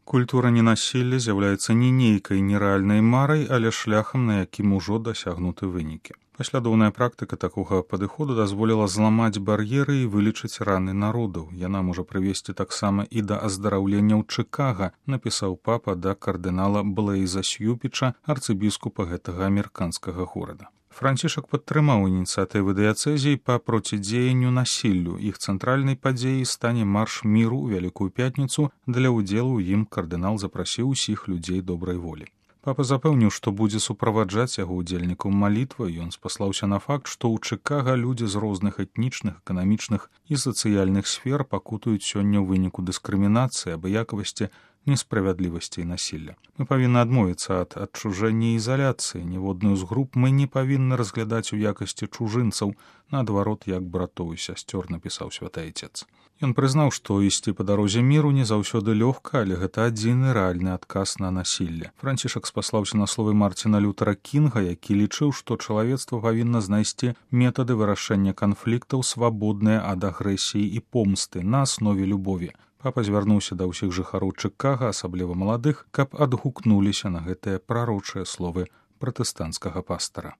Культура ненасілля з'яўляецца не нейкай нерэальнай марай, але шляхам, на якім ужо дасягнуты вынікі. Паслядоўная практыка такога падыходу дазволіла зламаць бар'еры і вылечыць раны народаў. Яна можа прывесці таксама і да аздараўлення ў Чыкага, напісаў папа да кардынала Блэйза Сьюпіча, арцыбіскупа гэтага амерыканскага горада. Францішак падтрымаў ініцыятывы дыяцэзій па процідзеянню насіллю. Іх цэнтральнай падзеяй стане марш міру ў Вялікую пятніцу. Для ўдзелу ў ім кардынал запрасіў усіх людзей добрай волі. Папа запэўніў, што будзе суправаджаць яго ўдзельнікаў малітвай. Ён спаслаўся на факт, што ў Чыкага людзі з розных этнічных, эканамічных і сацыяльных сфер пакутаюць сёння ў выніку дыскрымінацыі, абыякавасці, несправядлівасці і насілля. Мы павінны адмовіцца ад адчужэння і ізаляцыі. Ніводную з груп мы не павінны разглядаць у якасці чужынцаў, наадварот, як братоў і сясцёр, напісаў святы Айцец. Ён прызнаў, што ісці па дарозе міру не заўсёды лёгка, але гэта адзіны рэальны адказ на насілле. Францішак спаслаўся на словы Марціна Лютера Кінга, які лічыў, што чалавецтва павінна знайсці метады вырашэння канфліктаў, свабодныя ад агрэсіі і помсты на аснове любові. Папа звярнуўся да ўсіх жыхароў Чыкага, асабліва маладых, каб адгукнуліся на гэтыя прарочыя словы пратэстанцкага пастара.